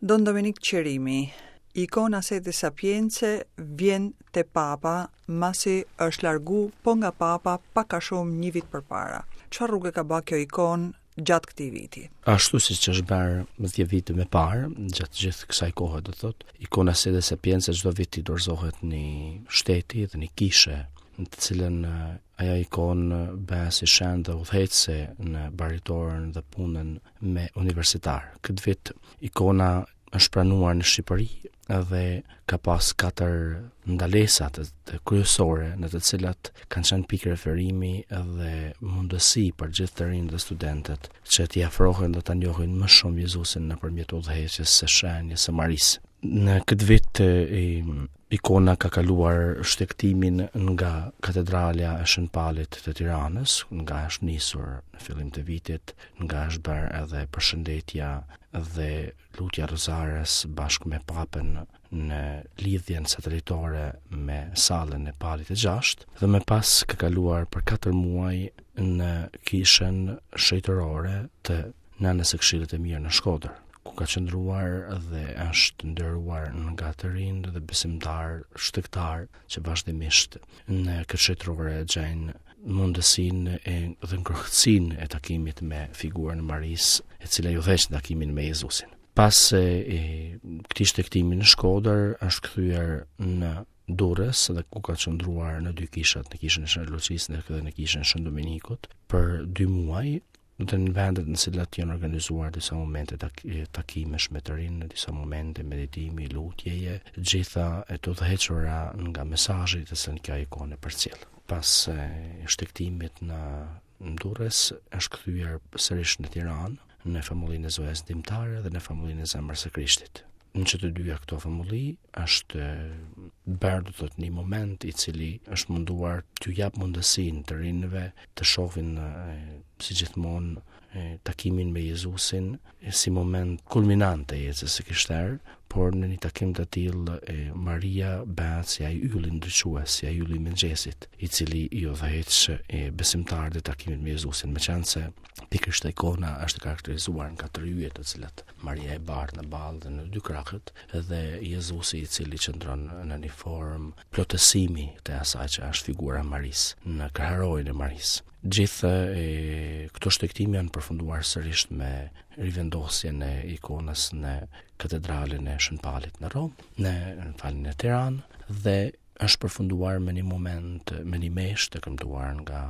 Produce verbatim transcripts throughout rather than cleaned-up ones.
Don Dominik Qerimi, ikona Sede Sapience vjen te Papa, masi është largu po nga Papa pak a shumë një vit përpara. Çfarë rrugë ka ba kjo ikonë gjatë këtij viti? Ashtu siç është bërë më dhjetë vite më parë, gjatë gjithë kësaj kohe, do thotë, ikona Sede Sapience çdo vit i dorëzohet një shteti dhe një kishe, në të cilën ajo ikonë bëhet si shenjë dhe udhëheqëse në baritoren dhe punën me universitar. Këtë vit ikona është pranuar në Shqipëri dhe ka pas katër ndalesa të, të kryesore në të cilat kanë qenë pikë referimi dhe mundësi për gjithë të rinjtë dhe studentët që t'i afrohen dhe ta njohin më shumë Jezusin nëpërmjet udhëheqjes së shenjës së Marisë. Në këtë vit e, ikona ka kaluar shtegtimin nga katedralja e Shën Palit të Tiranës, nga është nisur në fillim të vitit, nga është bërë edhe përshëndetja dhe lutja Rozares bashkë me Papën në lidhjen satelitore me sallën e Palit të Gjashtë, dhe më pas ka kaluar për katër muaj në kishën shenjtërore të Nënës së Këshillit të Mirë në Shkodër, ku ka qëndruar dhe është nderuar nga të rinj dhe besimtar shtegtar që vazhdimisht në këtë shenjtërore gjejnë mundësinë e dhe ngrohtësinë e takimit me figurën e Marisë, e cila ju udhëheq në takimin me Jezusin. Pas e, e këtij shtegtimi në Shkodër është kthyer në Durrës dhe ku ka qëndruar në dy kishat, në kishën e Shën Lucisë dhe në kishën e Shën Dominikut për dy muaj, dhe në vendet në cilat janë organizuar disa momente tak takimesh me të rinj, disa momente meditimi, lutjeje, gjitha e të udhëhequra nga mesazhi të cilën kjo ikonë e përcjell. Pas e, shtegtimit në, në Durrës është kthyer sërish në Tiranë, në famullinë e Zojës Ndihmëtare dhe në famullinë e Zemrës së Krishtit. Në që të dyja këto famulli është bërë, do thotë, një moment i cili është munduar t'ju jap mundësinë të rinjve të shohin si gjithmonë takimin me Jezusin si moment kulminant të jetës së krishterë, por në një takim të tillë Maria bëhet si ai ylli ndriçues, si ai ylli i mëngjesit, i cili i udhëheq e besimtarët e takimit me Jezusin, meqenëse pikërisht ikona është karakterizuar nga tre yje të cilat Maria e bart në ballë dhe në dy krahët, dhe Jezusi i cili qëndron në një formë plotësimi të asaj që është figura e Marisë, në kraharorin e Marisë. Gjithë e, këto shtegtime janë përfunduar sërish me rivendosjen e ikonës në katedralën e Shën Palit në Romë, në, në falin në Tiranë, dhe është përfunduar me një moment, me një meshë të kënduar nga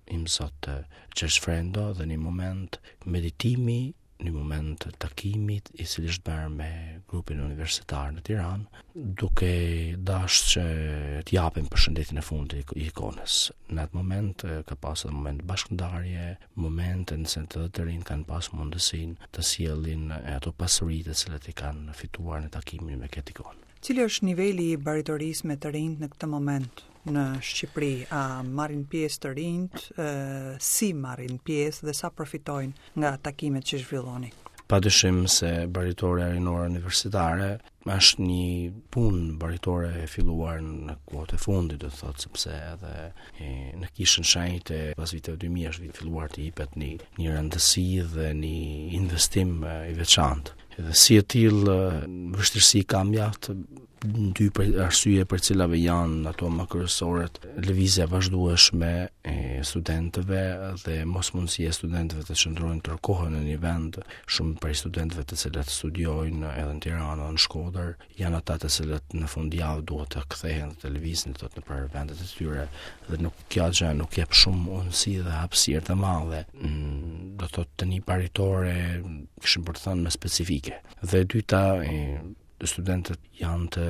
Imzot Gjergj Frendo dhe një moment meditimi, një moment takimit i cili është bërë me grupin universitar në Tiranë, duke dashur që të japim përshëndetjen e fundit i ikonës. Në atë moment ka pasur edhe moment bashkëndarje, momente në se të të rinj kanë pas mundësinë të sjellin ato pasuri të cilat i kanë fituar në takimin me këtë ikonë. Cili është niveli i baritorisë me të rinjt në këtë moment në Shqipëri? A marrin pjesë të rinjt, si marrin pjesë dhe sa përfitojnë nga takimet që zhvilloni? Pa dyshim se baritoria rinore universitare është një punë baritore e filluar në kohët e fundit, do të thotë, sepse edhe e, në kishën shenjte pas viteve dy mijë është filluar të jepet një një rëndësi dhe një investim i veçantë. Dhe si e tillë, vështirësi ka mjaft, dy për arsye për cilave janë ato më kryesoret: lëvizja e vazhdueshme e studentëve dhe mos mundësia e studentëve të qëndrojnë tërë kohën në një vend. Shumë prej studentëve të cilët studiojnë edhe në Tiranë edhe në Shkodër janë ata të cilët në fundjavë duhet të kthehen dhe të lëvizin, do thotë, nëpër vendet e tyre, dhe nuk kjo gjë nuk jep shumë mundësi dhe hapësirë të madhe, do të thotë, të një baritore, kishim për të thënë, më specifike. Dhe e dyta, e, studentët janë të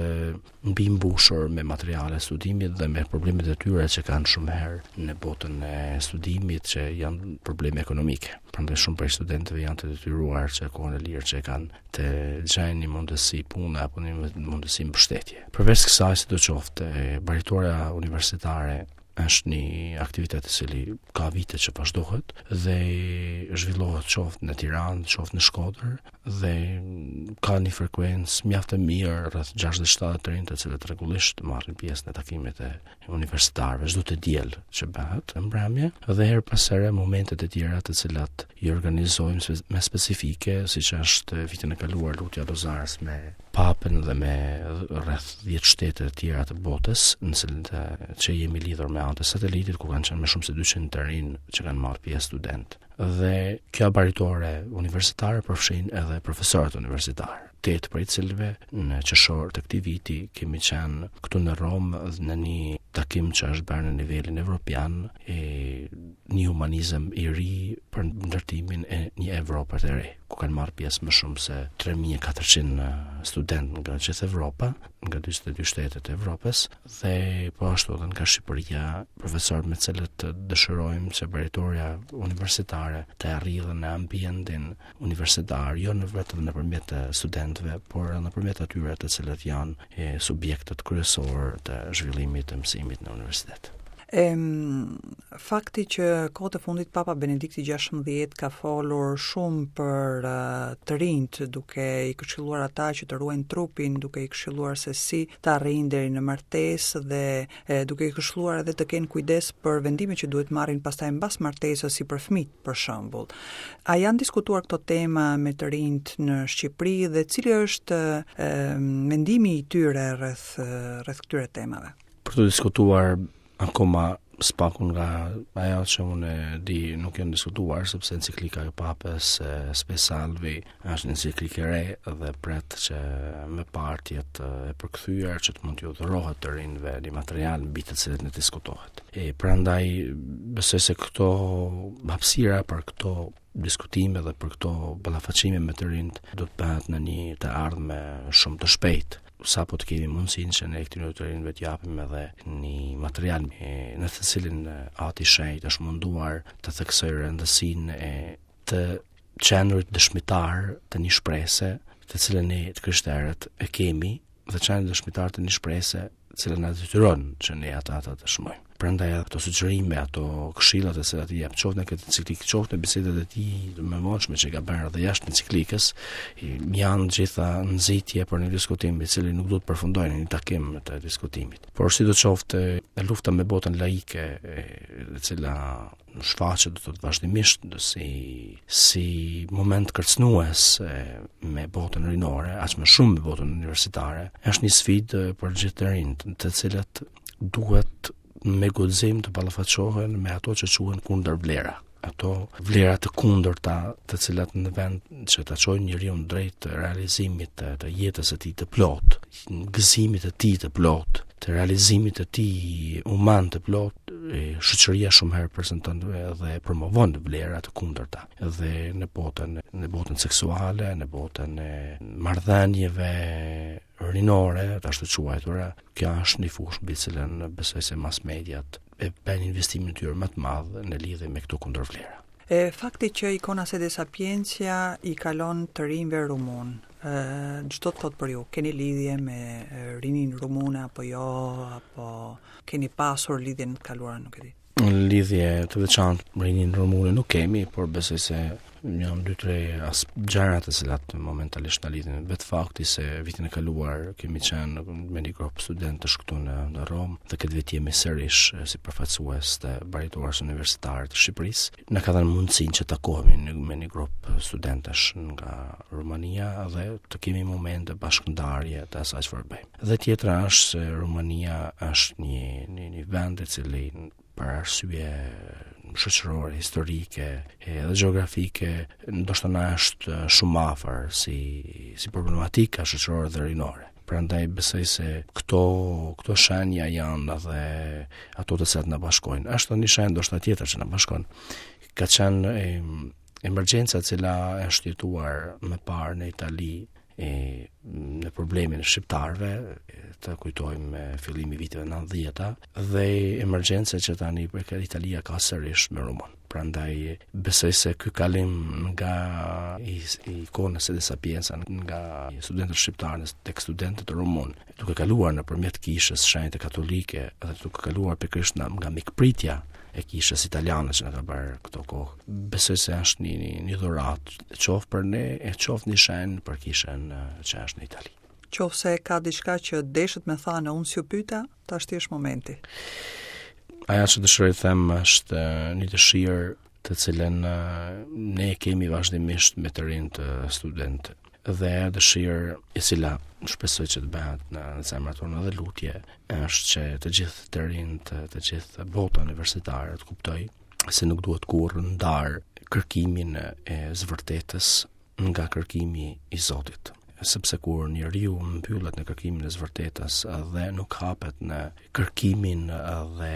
mbimbushur me materiale studimit dhe me problemet e tyre që kanë shumë herë në botën e studimit, që janë probleme ekonomike. Prandaj shumë prej studentëve janë të detyruar që kohën e lirë që kanë të gjejnë një mundësi pune apo një mundësi mbështetje. Përveç kësaj, sidoqoftë, baritoria universitare Është një aktivitet i cili ka vite që vazhdohet dhe zhvillohet qoftë në Tiranë, qoftë në Shkodër dhe ka një frekuencë mjaft të mirë, rreth gjashtëdhjetë shtatëdhjetë të rinj të cilët rregullisht marrin pjesë në takimet e universitarëve çdo të diel që bëhet në mbrëmje, dhe herë pas here momentet e tjera të cilat i organizojmë spe-, me specifike, siç është vitin e kaluar lutja Rozarës me Papën dhe me rreth dhjetë shtete të tjera të botës, në cilën të, që jemi lidhur me anë të satelitit, ku kanë qenë më shumë se dyqind të rinj që kanë marrë pjesë student. Dhe kjo baritore universitare përfshin edhe profesorët universitar, tetë prej cilëve në qershor të këtij viti kemi qenë këtu në Romë në një takim që është bërë në nivelin evropian, e një humanizëm i ri për ndërtimin e një Evrope të re, ku kanë marrë pjesë më shumë se tre mijë e katërqind student nga gjithë Evropa, nga dyzet e dy shtetet e Evropës, dhe po ashtu edhe nga Shqipëria, profesorët me cilët dëshirojmë që baritoria universitare të arrijë në ambientin universitar, jo në vetëm nëpërmjet të studentëve, por edhe nëpërmjet atyre të cilët janë e, subjektet kryesor të zhvillimit të mësimit në universitet. Em, fakti që kohët e fundit Papa Benedikti gjashtëmbëdhjetë ka folur shumë për, eh, të rinjt, duke i këshilluar ata që të ruajnë trupin, duke i këshilluar se si të arrijnë deri në martesë dhe, eh, duke i këshilluar edhe të kenë kujdes për vendimet që duhet marrin pastaj mbas martesës, si për fëmijët, për shembull. A janë diskutuar këto tema me të rinjt në Shqipëri dhe cili është, eh, mendimi i tyre rreth, eh, rreth këtyre temave? Për të diskutuar akoma spaku nga ajo që unë e di nuk janë diskutuar, sepse enciklika e Papës, e, Spe Salvi është një enciklikë e re dhe pret që më parë të jetë e përkthyer që të mund t'ju dhurohet të rinjve një material mbi të cilët ne diskutohet. E prandaj besoj se këto hapësira për këto diskutime dhe për këto ballafaqime me të rinjt do të bëhet në një të ardhme shumë të shpejtë. Sa po të kemi mundësinë që ne këtyre të rinjve të japim edhe një material me, në të cilin Ati Shenjt është munduar të theksojë rëndësinë e të qenurit dëshmitar të një shprese, të cilën ne të krishterët e kemi, dhe qenurit dëshmitar të një shprese, të cilën na detyron që ne ata ta dëshmojmë. Prandaj ato sugjerime, ato këshillat e cilat i jep, qoftë në këtë enciklikë, qoftë në bisedat e tij të mëvonshme që ka bërë edhe jashtë enciklikës, janë gjitha nxitje për një diskutim i cili nuk duhet përfundojë në një takim të diskutimit. Por sidoqoftë, lufta me botën laike, e, e cila shfaqet do të thotë vazhdimisht si, si moment kërcënues, e, me botën rinore, aq më shumë me botën universitare, është një sfidë për gjithë të rinjt, të cilët duhet me guxim të ballafaqohen me ato që quhen kundërvlera, ato vlera të kundërta të cilat në vend që ta çojnë njeriu drejt realizimit të, të jetës së tij të plotë, gëzimit të tij të plotë, të realizimit të tij human të plotë, e, shoqëria shumë herë prezanton dhe promovon vlera të kundërta, edhe në botën, në botën seksuale, në botën e marrëdhënieve rinore, të ashtu quajtura. Kjo është një fushë mbi të cilën besoj se mass mediat e bëjnë investimin e tyre më të madh në lidhje me këto kundërvlera. E fakti që ikona Sede Sapientia i kalon të rinjve rumun, e, ç'do të thotë për ju? Keni lidhje me, e, rinin rumune apo jo, apo keni pasur lidhje në të kaluarën, nuk e di. Lidhje të veçantë me rinin rumune nuk kemi, por besoj se janë dy tre as gjëra të cilat momentalisht na lidhin. Vetë fakti se vitin e kaluar kemi qenë me një grup studentësh këtu në, në Romë dhe këtë vit jemi sërish si përfaqësues të baritores universitare të Shqipërisë. Na ka dhënë mundësinë që takohemi në, me një grup studentësh nga Rumania dhe të kemi momente bashkëndarje të asaj çfarë bëjmë. Dhe tjetra është se Rumania është një, një, një vend i cili për arsye shoqërore, historike edhe gjeografike, ndoshta na është shumë afër si, si problematika shoqërore dhe rinore. Prandaj besoj se këto, këto shenja janë edhe ato të cilat na bashkojnë. Është një shenjë ndoshta tjetër që na bashkon. Ka qenë e, emergjenca e cila është jetuar më parë në Itali e, në problemin e shqiptarëve, e, të kujtojmë fillimi i viteve nëntëdhjeta dhe emergjenca që tani për Italia ka sërish me Romën. Prandaj besoj se ky kalim nga i, ikona Sede Sapienza nga studentët shqiptarë tek studentët rumun, duke kaluar nëpërmjet kishës shenjtë katolike dhe duke kaluar pikërisht nga mikpritja e kishës italiane që na ka bërë këto kohë. Besoj se është një një, një dhuratë, qoftë për ne e qoftë një shenjë për kishën që është në Itali. Qoftë se ka diçka që deshët me thanë, unë s'ju pyeta, tashti është momenti. Aja që dëshiroj të them është një dëshirë të cilën ne kemi vazhdimisht me të rinjtë studentë dhe ajo dëshirë e cila shpresoj që të bëhet në, në zemrat tona dhe lutje është që të gjithë të rinjtë, të gjithë bota universitare të kuptoj se nuk duhet kurrë ndar kërkimin e zvërtetës nga kërkimi i Zotit. Sepse kur njeriu mbyllet në kërkimin e zvërtetës dhe nuk hapet në kërkimin dhe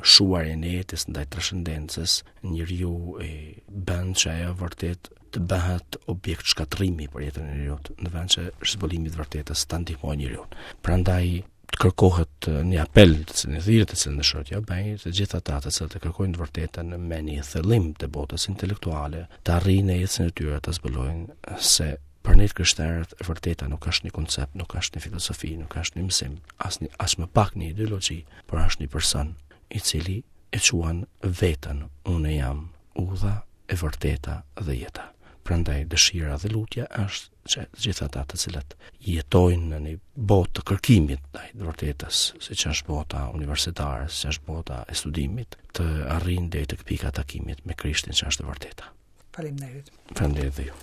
shuarjen e jetës ndaj transcendencës, njeriu e bën që ajo vërtet të bëhet objekt shkatërrimi për jetën e njeriut, në vend që zbulimi i të vërtetës ta ndihmojë njeriun. Prandaj të kërkohet një apel, të cilin thirrje të cilën dëshiroj t'ja bëj, të gjithë ata të cilët e kërkojnë të vërtetën me një thellim të botës intelektuale, të arrijnë në jetën e tyre të zbulojnë se për ne të krishterët e vërteta nuk është një koncept, nuk është një filozofi, nuk është një mësim, as një, as më pak një ideologji, por është një person i cili e quan veten, unë jam udha, e vërteta dhe jeta. Prandaj dëshira dhe lutja është që të gjithë ata të cilët jetojnë në një botë të kërkimit ndaj të vërtetës, siç është bota universitare, siç është bota e studimit, të arrijnë deri tek pika e takimit me Krishtin që është e vërteta. Faleminderit. Faleminderit dhe ju.